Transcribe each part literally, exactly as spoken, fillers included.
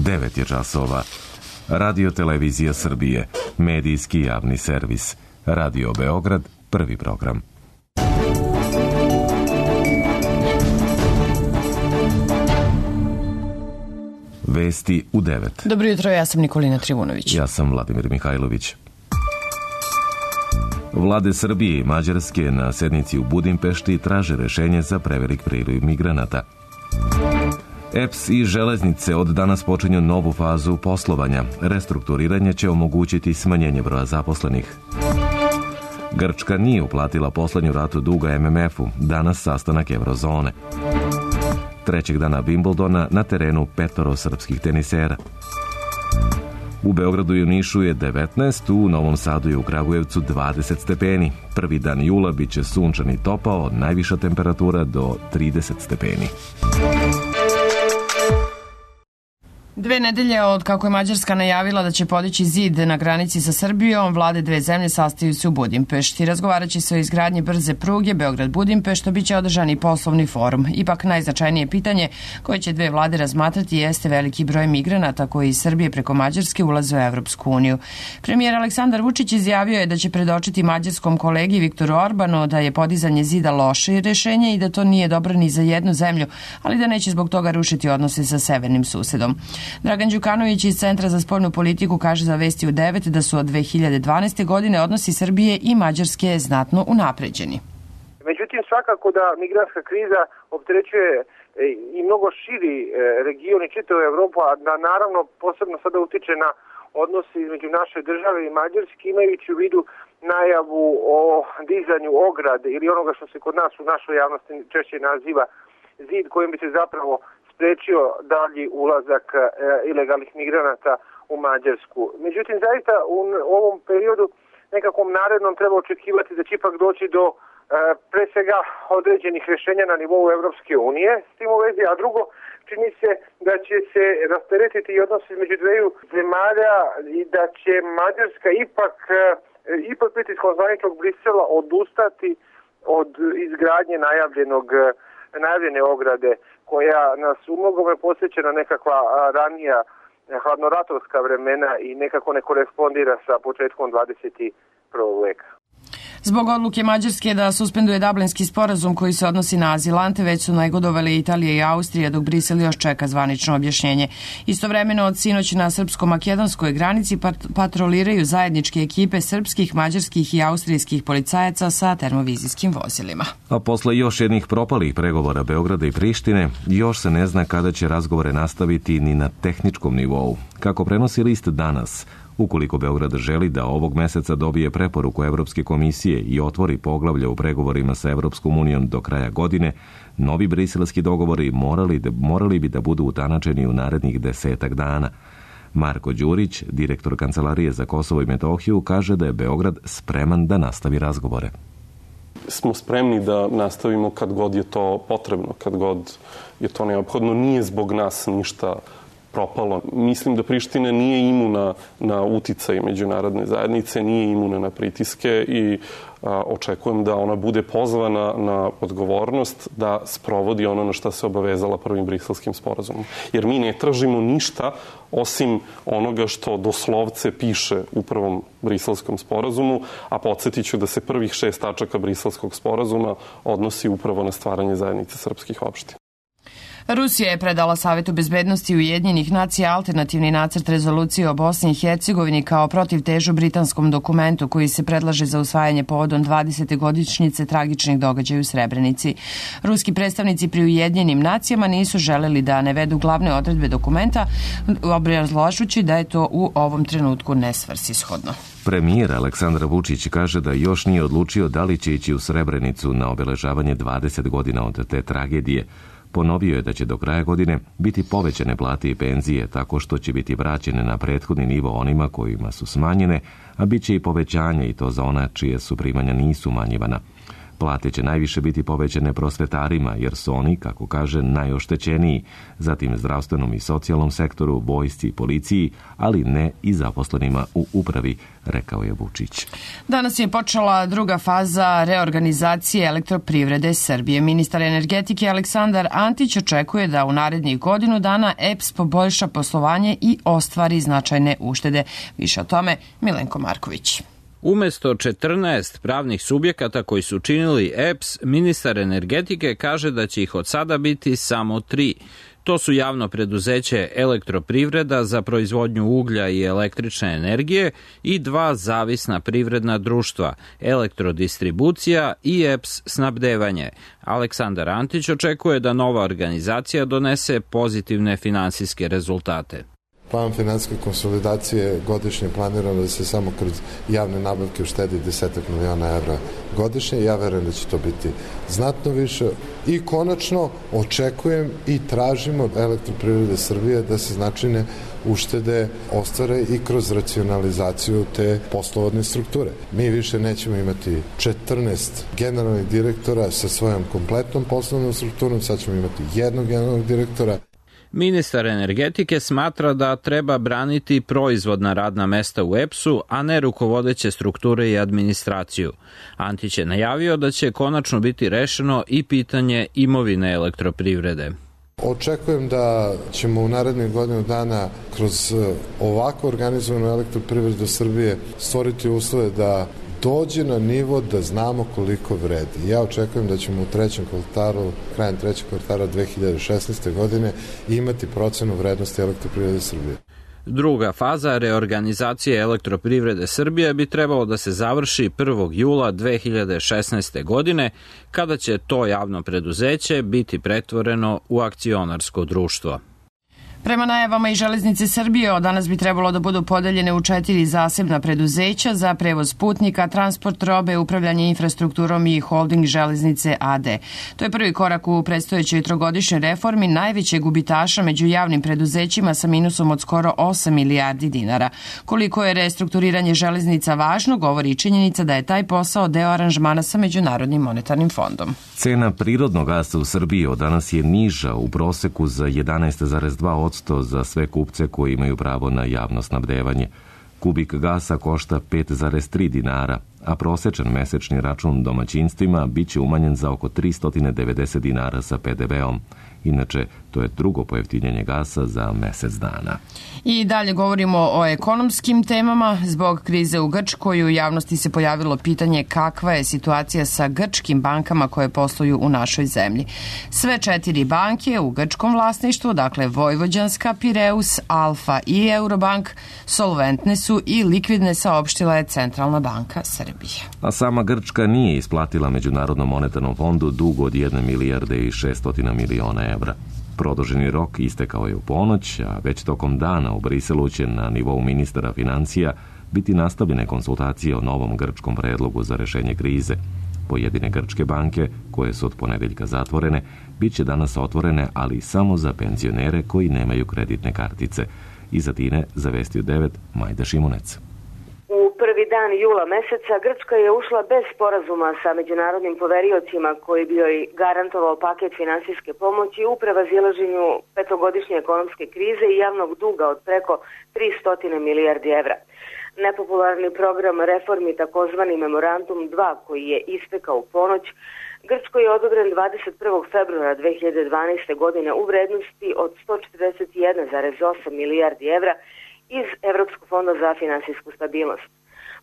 devet je časova. Radio Televizija Srbije, medijski javni servis. Radio Beograd, prvi program. Vesti u devet. Dobro jutro, ja sam Nikolina Trivunović. Ja sam Vladimir Mihajlović. Vlade Srbije i Mađarske na sednici u Budimpešti traže rešenje za prevelik priliv migranata. E P S i železnice od danas počinju novu fazu poslovanja. Restrukturiranje će omogućiti smanjenje broja zaposlenih. Grčka nije uplatila poslednju ratu duga M M F-u. Danas sastanak Eurozone. Trećeg dana Wimbledona na terenu petoro srpskih tenisera. U Beogradu i u Nišu je devetnaest, u Novom Sadu i u Kragujevcu dvadeset stepeni. Prvi dan jula biće sunčan i topao, najviša temperatura do trideset stepeni. Dve nedelje od kako je Mađarska najavila da će podići zid na granici sa Srbijom, vlade dve zemlje sastaju se u Budimpešti. Razgovarat će se o izgradnji brze pruge Beograd-Budimpešta, biće održan i poslovni forum. Ipak najznačajnije pitanje koje će dve vlade razmatrati jeste veliki broj migranata koji iz Srbije preko Mađarske ulaze u Evropsku uniju. Premijer Aleksandar Vučić izjavio je da će predočiti mađarskom kolegi Viktoru Orbanu da je podizanje zida loše rešenje i da to nije dobro ni za jednu zemlju, ali da neće zbog toga rušiti odnose sa severnim susedom. Dragan Đukanović iz Centra za spoljnu politiku kaže za Vesti u devet da su od dve hiljade dvanaeste. godine odnosi Srbije i Mađarske znatno unapređeni. Međutim, svakako da migrantska kriza opterećuje i mnogo širi region i čitavu Evropu, a da naravno posebno sada utiče na odnose između naše države i Mađarske, imajući u vidu najavu o dizanju ograde ili onoga što se kod nas u našoj javnosti češće naziva zid, kojim bi se zapravo sprečio dalji ulazak e, ilegalnih migranata u Mađarsku. Međutim, zaista u ovom periodu nekakvom narednom treba očekivati da će ipak doći do e, pre svega određenih rešenja na nivou Evropske unije s tim u vezi, a drugo, čini se da će se rasteretiti i odnos između dveju zemalja i da će Mađarska ipak, e, ipak pritiskom zvaničnog Brisela odustati od izgradnje najavljenog najavljene ograde, koja nas u mnogome podsjeća na nekakva ranija hladnoratovska vremena i nekako ne korespondira sa početkom dvadeset prvog veka. Zbog odluke Mađarske da suspenduje Dublinski sporazum koji se odnosi na azilante, već su negodovali Italija i Austrija, dok Brisel još čeka zvanično objašnjenje. Istovremeno od sinoć na srpsko-makedonskoj granici patroliraju zajedničke ekipe srpskih, mađarskih i austrijskih policajaca sa termovizijskim vozilima. A posle još jednih propalih pregovora Beograda i Prištine, još se ne zna kada će razgovore nastaviti ni na tehničkom nivou. Kako prenosi list Danas, ukoliko Beograd želi da ovog meseca dobije preporuku Evropske komisije i otvori poglavlje u pregovorima sa Evropskom unijom do kraja godine, novi briselski dogovori morali, morali bi da budu utanačeni u narednih desetak dana. Marko Đurić, direktor Kancelarije za Kosovo i Metohiju, kaže da je Beograd spreman da nastavi razgovore. Smo spremni da nastavimo kad god je to potrebno, kad god je to neophodno. Nije zbog nas ništa propalo. Mislim da Priština nije imuna na uticaj međunarodne zajednice, nije imuna na pritiske i a, očekujem da ona bude pozvana na odgovornost da sprovodi ono na što se obavezala prvim briselskim sporazumom. Jer mi ne tražimo ništa osim onoga što doslovce piše u prvom briselskom sporazumu, a podsjetit ću da se prvih šest tačaka briselskog sporazuma odnosi upravo na stvaranje zajednice srpskih opština. Rusija je predala Savetu bezbednosti Ujedinjenih nacija alternativni nacrt rezolucije o Bosni i Hercegovini kao protivtežu britanskom dokumentu koji se predlaže za usvajanje povodom dvadesete godišnjice tragičnih događaja u Srebrenici. Ruski predstavnici pri Ujedinjenim nacijama nisu želeli da navedu glavne odredbe dokumenta, obrazlažući da je to u ovom trenutku nesvrsishodno. Premijer Aleksandar Vučić kaže da još nije odlučio da li će ići u Srebrenicu na obeležavanje dvadeset godina od te tragedije. Ponovio je da će do kraja godine biti povećane plate i penzije tako što će biti vraćene na prethodni nivo onima kojima su smanjene, a bit će i povećanje i to za ona čije su primanja nisu umanjivana. Plate će najviše biti povećane prosvetarima, jer su oni, kako kaže, najoštećeniji, zatim zdravstvenom i socijalnom sektoru, vojsci i policiji, ali ne i zaposlenima u upravi, rekao je Vučić. Danas je počela druga faza reorganizacije elektroprivrede Srbije. Ministar energetike Aleksandar Antić očekuje da u narednih godinu dana E P S poboljša poslovanje i ostvari značajne uštede. Više o tome Milenko Marković. Umesto četrnaest pravnih subjekata koji su činili E P S, ministar energetike kaže da će ih od sada biti samo tri. To su javno preduzeće Elektroprivreda za proizvodnju uglja i električne energije i dva zavisna privredna društva, Elektrodistribucija i E P S snabdevanje. Aleksandar Antić očekuje da nova organizacija donese pozitivne finansijske rezultate. Plan finansijske konsolidacije godišnje planirano da se samo kroz javne nabavke uštedi desetak miliona evra godišnje. Ja verujem da će to biti znatno više. I konačno očekujem i tražimo od Elektroprivrede Srbije da se značajne uštede ostvare i kroz racionalizaciju te poslovodne strukture. Mi više nećemo imati četrnaest generalnih direktora sa svojom kompletnom poslovnom strukturom, sad ćemo imati jednog generalnog direktora. Ministar energetike smatra da treba braniti proizvodna radna mesta u E P S-u, a ne rukovodeće strukture i administraciju. Antić je najavio da će konačno biti rešeno i pitanje imovine elektroprivrede. Očekujem da ćemo u narednih godinu dana kroz ovako organizovanu Elektroprivredu Srbije stvoriti uslove da dođe na nivo da znamo koliko vredi. Ja očekujem da ćemo u trećem kvartalu, krajem trećeg kvartala dve hiljade šesnaeste. godine imati procenu vrednosti Elektroprivrede Srbije. Druga faza reorganizacije Elektroprivrede Srbije bi trebalo da se završi prvog jula dve hiljade šesnaeste. godine, kada će to javno preduzeće biti pretvoreno u akcionarsko društvo. Prema najavama i Železnice Srbije, od danas bi trebalo da budu podeljene u četiri zasebna preduzeća za prevoz putnika, transport robe, upravljanje infrastrukturom i holding Železnice A D. To je prvi korak u predstojećoj trogodišnjoj reformi najvećeg gubitaša među javnim preduzećima sa minusom od skoro osam milijardi dinara. Koliko je restrukturiranje železnica važno, govori i činjenica da je taj posao deo aranžmana sa Međunarodnim monetarnim fondom. Cena prirodnog gasa u Srbiji od danas je niža u proseku za jedanaest zarez dva posto za sve kupce koji imaju pravo na javno snabdevanje. Kubik gasa košta pet zarez tri dinara, a prosečan mesečni račun domaćinstvima biće umanjen za oko tristo devedeset dinara sa pe de veom. Inače, to je drugo pojeftinjenje gasa za mesec dana. I dalje govorimo o ekonomskim temama. Zbog krize u Grčkoj u javnosti se pojavilo pitanje kakva je situacija sa grčkim bankama koje posluju u našoj zemlji. Sve četiri banke u grčkom vlasništvu, dakle Vojvođanska, Pireus, Alfa i Eurobank, solventne su i likvidne, saopštila je Centralna banka Srbije. A sama Grčka nije isplatila Međunarodnom monetarnom fondu dug od jedne milijarde i šeststotina miliona evra. Produženi rok istekao je u ponoć, a već tokom dana u Briselu će na nivou ministara financija biti nastavljene konsultacije o novom grčkom predlogu za rešenje krize. Pojedine grčke banke, koje su od ponedeljka zatvorene, bit će danas otvorene, ali samo za penzionere koji nemaju kreditne kartice. Iz Atine zavestio devet Majda Šimunec. U prvi dan jula meseca Grčka je ušla bez sporazuma sa međunarodnim poveriocima koji bi joj garantovao paket finansijske pomoći u prevazilaženju petogodišnje ekonomske krize i javnog duga od preko tristo milijardi evra. Nepopularni program reformi, takozvani Memorandum dva, koji je istekao u ponoć, Grčkoj je odobren dvadeset prvog februara dve hiljade dvanaeste. godine u vrednosti od sto četrdeset jedan zarez osam milijardi evra iz Evropskog fonda za finansijsku stabilnost.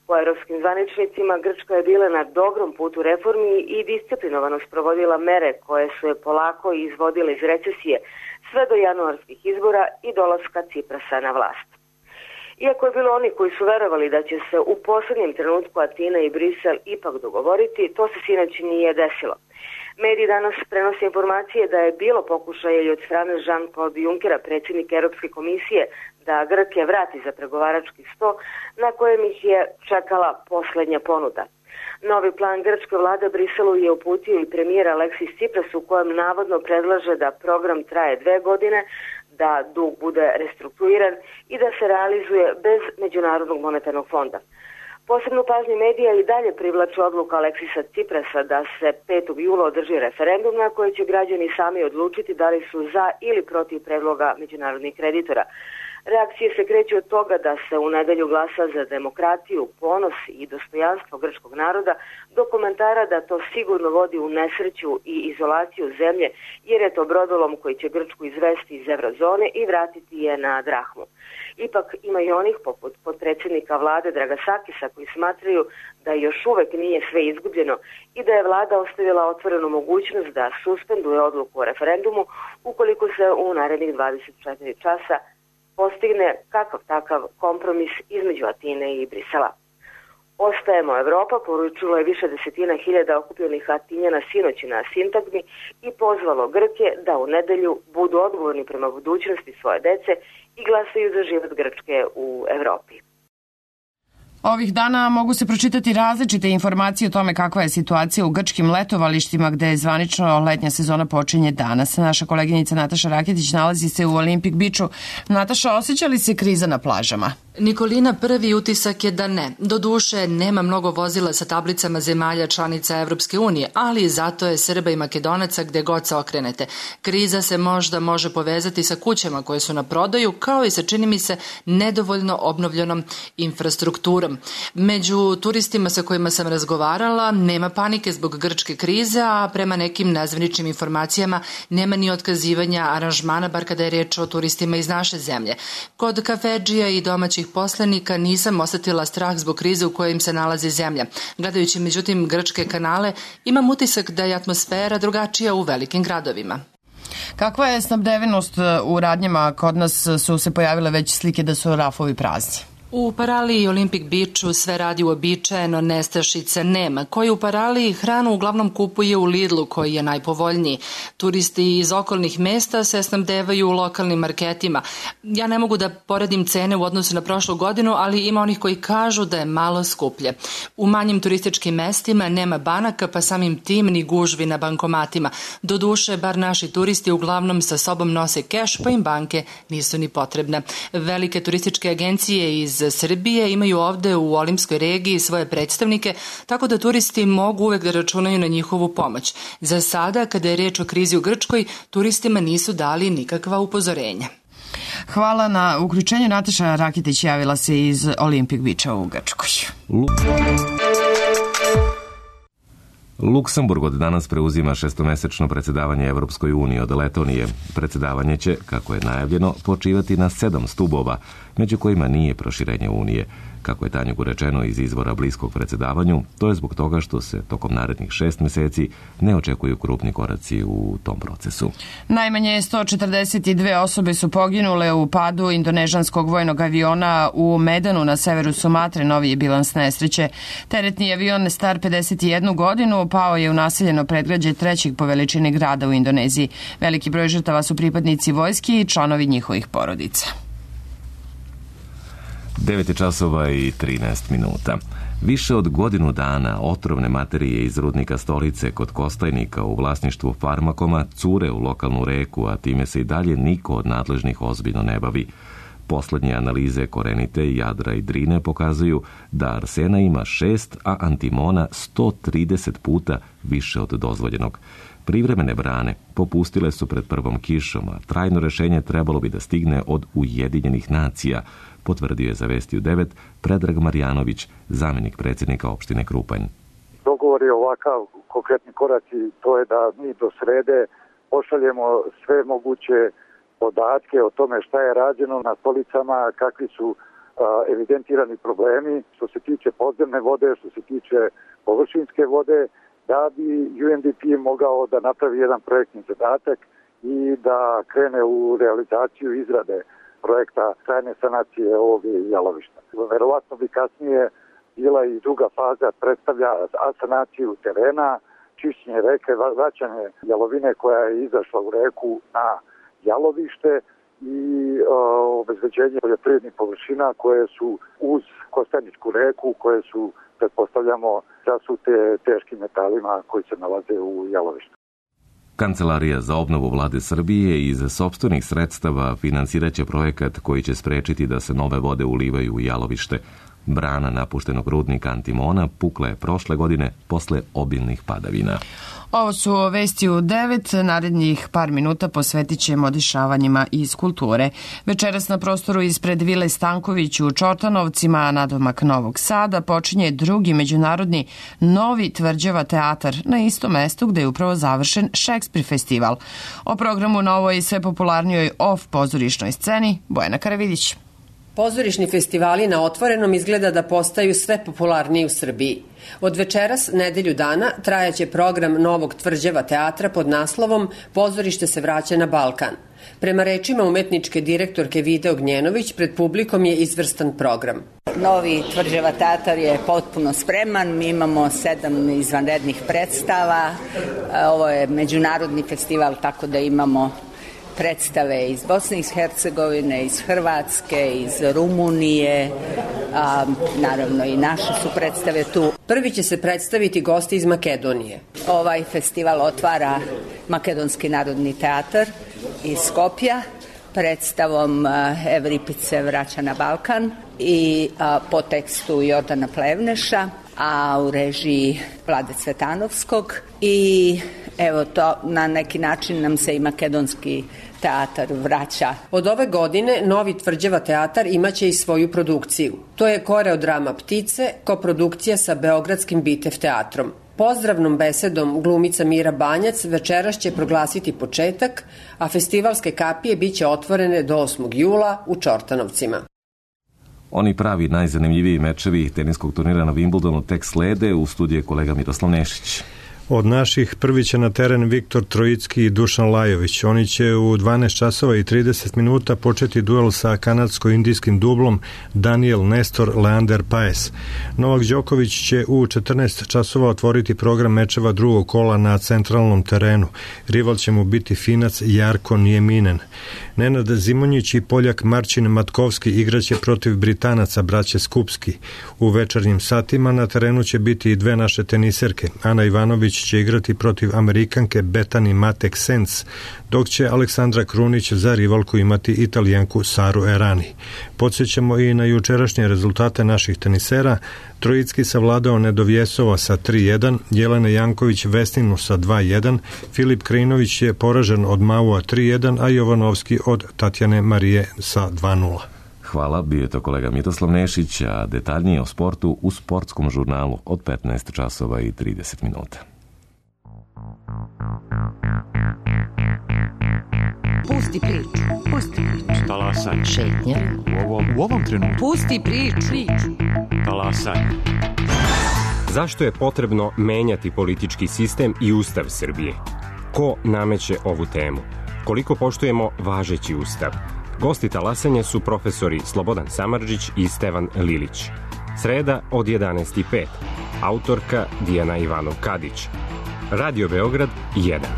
Po evropskim zvaničnicima, Grčka je bila na dobrom putu reformi i disciplinovano sprovodila mere koje su je polako izvodile iz recesije sve do januarskih izbora i dolaska Ciprasa na vlast. Iako je bilo oni koji su verovali da će se u poslednjem trenutku Atina i Brisel ipak dogovoriti, to se sinoć nije desilo. Mediji danas prenose informacije da je bilo pokušaja i od strane Jean-Claude Junckera, predsjednika Europske komisije, da Grke vrati za pregovarački sto, na kojem ih je čekala poslednja ponuda. Novi plan grčke vlade Briselu je uputio i premijer Aleksis Tsipras, u kojem navodno predlaže da program traje dve godine, da dug bude restrukturiran i da se realizuje bez Međunarodnog monetarnog fonda. Posebnu pažnju medija i dalje privlači odluka Aleksisa Ciprasa da se petog jula održi referendum na koji će građani sami odlučiti da li su za ili protiv predloga međunarodnih kreditora. Reakcije se kreću od toga da se u nedelju glasa za demokratiju, ponos i dostojanstvo grčkog naroda do komentara da to sigurno vodi u nesreću i izolaciju zemlje jer je to brodolom koji će Grčku izvesti iz eurozone i vratiti je na drahmu. Ipak ima i onih poput potpredsjednika vlade Dragasakisa koji smatraju da još uvek nije sve izgubljeno i da je vlada ostavila otvorenu mogućnost da suspenduje odluku o referendumu ukoliko se u narednih dvadeset četiri časa postigne kakav takav kompromis između Atine i Brisela. Ostajemo Evropa, poručilo je više desetina hiljada okupljenih Atinjana sinoći na sintagmi i pozvalo Grke da u nedelju budu odgovorni prema budućnosti svoje dece i glasaju za život Grčke u Evropi. Ovih dana mogu se pročitati različite informacije o tome kakva je situacija u grčkim letovalištima gde je zvanično letnja sezona počinje danas. Naša koleginica Nataša Raketić nalazi se u Olympic Beachu. Nataša, osjeća li se kriza na plažama? Nikolina, prvi utisak je da ne. Doduše, nema mnogo vozila sa tablicama zemalja članica Evropske unije, ali zato je Srba i Makedonaca gde god se okrenete. Kriza se možda može povezati sa kućama koje su na prodaju, kao i sa, čini mi se, nedovoljno obnovljenom infrastrukturom. Među turistima sa kojima sam razgovarala nema panike zbog grčke krize, a prema nekim nezvaničnim informacijama nema ni otkazivanja aranžmana, bar kada je reč o turistima iz naše zemlje. Kod kafedžija i domaćih poslanika nisam osetila strah zbog krize u kojoj im se nalazi zemlja. Gledajući međutim grčke kanale, imam utisak da je atmosfera drugačija u velikim gradovima. Kakva je snabdevenost u radnjama? Kod nas su se pojavile već slike da su rafovi prazni. U Paraliji i Olympic Beachu sve radi uobičajeno, nestašica nema. Koji u Paraliji hranu uglavnom kupuje u Lidlu koji je najpovoljniji. Turisti iz okolnih mesta se snabdevaju u lokalnim marketima. Ja ne mogu da poredim cene u odnosu na prošlu godinu, ali ima onih koji kažu da je malo skuplje. U manjim turističkim mestima nema banaka, pa samim tim ni gužvi na bankomatima. Doduše, bar naši turisti uglavnom sa sobom nose keš, pa im banke nisu ni potrebne. Velike turističke agencije iz Srbije imaju ovde u Olimskoj regiji svoje predstavnike, tako da turisti mogu uvek da računaju na njihovu pomoć. Za sada, kada je reč o krizi u Grčkoj, turistima nisu dali nikakva upozorenja. Hvala na uključenju. Nataša Raketić javila se iz Olympic Beacha u Grčkoj. Luksemburg od danas preuzima šestomesečno predsedavanje Evropskoj uniji od Letonije. Predsedavanje će, kako je najavljeno, počivati na sedam stubova, među kojima nije proširenje Unije. Kako je Tanjugu rečeno iz izvora bliskog predsedavanju, to je zbog toga što se tokom narednih šest meseci ne očekuju krupni koraci u tom procesu. Najmanje sto četrdeset dve osobe su poginule u padu indonežanskog vojnog aviona u Medanu na severu Sumatre, novi je bilans nesreće. Teretni avion star pedeset jednu godinu pao je u naseljeno predgrađe trećeg po veličini grada u Indoneziji. Veliki broj žrtava su pripadnici vojske i članovi njihovih porodica. devet časova i trinaest minuta. Više od godinu dana otrovne materije iz rudnika Stolice kod Kostajnika u vlasništvu Farmakoma cure u lokalnu reku, a time se i dalje niko od nadležnih ozbiljno ne bavi. Poslednje analize Korenite, Jadra i Drine pokazuju da arsena ima šest, a antimona sto trideset puta više od dozvoljenog. Privremene brane popustile su pred prvom kišom, a trajno rešenje trebalo bi da stigne od Ujedinjenih nacija, potvrdio je za Vestiju devet Predrag Marjanović, zamenik predsjednika opštine Krupanj. Dogovor je ovakav, konkretni koraci, to je da mi do srede pošaljemo sve moguće podatke o tome šta je rađeno na stolicama, kakvi su a, evidentirani problemi, što se tiče podzemne vode, što se tiče površinske vode, da bi U N D P mogao da napravi jedan projektni zadatak i da krene u realizaciju izrade projekta trajne sanacije ovog jalovišta. Verovatno bi kasnije bila i druga faza, predstavlja asanaciju terena, čišćenje reke, vraćanje jalovine koja je izašla u reku na jalovište i o, obezbeđenje poljoprivrednih površina koje su uz Kostajničku reku, koje su, pretpostavljamo, zasute teškim metalima koji se nalaze u jalovištu. Kancelarija za obnovu vlade Srbije iz sopstvenih sredstava finansiraće projekat koji će sprečiti da se nove vode ulivaju u jalovište. Brana napuštenog rudnika Antimona pukla je prošle godine posle obilnih padavina. Ovo su vesti u devet, narednih par minuta posvetit ćemo dešavanjima iz kulture. Večeras na prostoru ispred Vile Stanković u Čortanovcima, nadomak Novog Sada, počinje drugi međunarodni Novi Tvrđava teatar na istom mestu gde je upravo završen Šekspir festival. O programu na ovoj sve popularnijoj off pozorišnoj sceni Bojana Karavidić. Pozorišni festivali na otvorenom izgleda da postaju sve popularniji u Srbiji. Od večeras, nedelju dana, trajaće program Novog Tvrđava teatra pod naslovom Pozorište se vraća na Balkan. Prema rečima umetničke direktorke Vide Ognjenović, pred publikom je izvrstan program. Novi Tvrđava teatar je potpuno spreman, mi imamo sedam izvanrednih predstava, ovo je međunarodni festival, tako da imamo predstave iz Bosne i Hercegovine, iz Hrvatske, iz Rumunije, a, naravno i naše su predstave tu. Prvi će se predstaviti gosti iz Makedonije. Ovaj festival otvara Makedonski narodni teatar iz Skopja predstavom Evripice vraća na Balkan i a, po tekstu Jordana Plevneša, a u režiji Vlade Cvetanovskog i evo to na neki način nam se i makedonski teatar vraća. Od ove godine Novi Tvrđava teatar imaće i svoju produkciju. To je koreodrama Ptice, koprodukcija sa Beogradskim Bitev teatrom. Pozdravnom besedom glumica Mira Banjac večeras će proglasiti početak, a festivalske kapije biće otvorene do osmog jula u Čortanovcima. Oni pravi najzanimljiviji mečevi teniskog turnira na Wimbledonu tek slede, u studiju je kolega Miroslav Nešić. Od naših prvi će na teren Viktor Trojicki i Dušan Lajović. Oni će u dvanaest časova i trideset minuta početi duel sa kanadsko-indijskim dublom Daniel Nestor Leander Paes. Novak Đoković će u četrnaest časova otvoriti program mečeva drugog kola na centralnom terenu. Rival će mu biti Finac Jarko Nieminen. Nenad Zimonjić i Poljak Marcin Matkovski igraće protiv Britanaca braće Skupski. U večernjim satima na terenu će biti i dve naše teniserke. Ana Ivanović će igrati protiv Amerikanke Bethany Matek Sens, dok će Aleksandra Krunić za rivalku imati Italijanku Saru Errani. Podsjećamo i na jučerašnje rezultate naših tenisera. Trojicki savladao Nedovjesova sa tri jedan, Jelena Janković Vesninu sa dva jedan, Filip Krinović je poražen od Maua tri jedan, a Jovanovski od Tatjane Marije sa dva nula. Hvala, bio je to kolega Miroslav Nešić, a detaljnije o sportu u sportskom žurnalu od petnaest časova i trideset minuta. Pusti priču, pusti priču. Talasaj. Šetnja. U ovom, u ovom trenutku. Pusti priču. priču. Talasaj. Zašto je potrebno menjati politički sistem i ustav Srbije? Ko nameće ovu temu? Koliko poštujemo važeći ustav? Gosti talasanja su profesori Slobodan Samardžić i Stevan Lilić. Sreda od jedanaest i pet. Autorka Dijana Ivanov-Kadić. Radio Beograd jedan.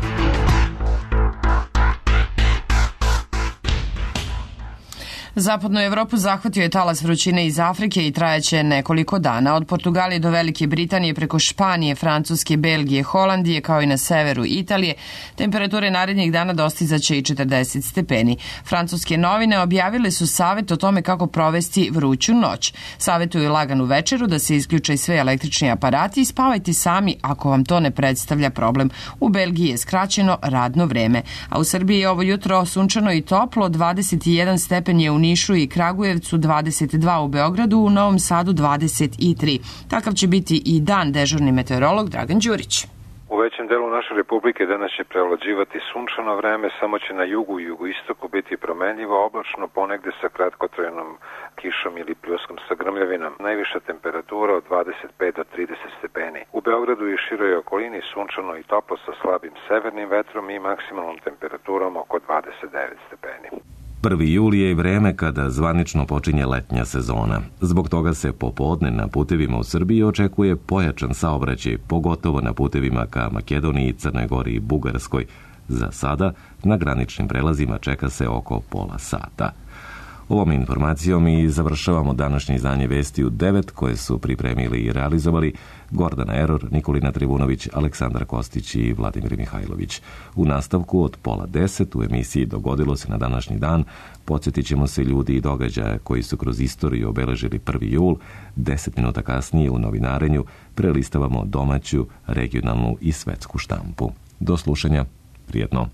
Zapadnu Evropu zahvatio je talas vrućine iz Afrike i trajaće nekoliko dana. Od Portugalije do Velike Britanije, preko Španije, Francuske, Belgije, Holandije, kao i na severu Italije, temperature narednih dana dostizaće i četrdeset stepeni. Francuske novine objavile su savet o tome kako provesti vruću noć. Savetuju laganu večeru, da se isključe sve električni aparati i spavajte sami ako vam to ne predstavlja problem. U Belgiji je skraćeno radno vreme, a u Srbiji je ovo jutro sunčano i toplo, dvadeset jedan stepen je u Nišu i Kragujevcu, dvadeset dva u Beogradu, u Novom Sadu dvadeset tri. Takav će biti i dan, dežurni meteorolog Dragan Đurić. U većem delu naše republike danas će prevlađivati sunčano vreme, samo će na jugu i jugoistoku biti promenljivo, oblačno, ponegde sa kratkotrajnom kišom ili pljuskom sa grmljavinom. Najviša temperatura od dvadeset pet do trideset stepeni. U Beogradu i široj okolini sunčano i toplo sa slabim severnim vetrom i maksimalnom temperaturom oko dvadeset devet stepeni. prvi juli je i vreme kada zvanično počinje letnja sezona. Zbog toga se popodne na putevima u Srbiji očekuje pojačan saobraćaj, pogotovo na putevima ka Makedoniji, Crnoj Gori i Bugarskoj. Za sada na graničnim prelazima čeka se oko pola sata. Ovom informacijom i završavamo današnje izdanje Vesti u devet koje su pripremili i realizovali Gordana Eror, Nikolina Trivunović, Aleksandar Kostić i Vladimir Mihajlović. U nastavku od pola deset u emisiji Dogodilo se na današnji dan podsjetit ćemo se ljudi i događaja koji su kroz istoriju obeležili prvi jul. Deset minuta kasnije u novinarenju prelistavamo domaću, regionalnu i svetsku štampu. Do slušanja, prijetno.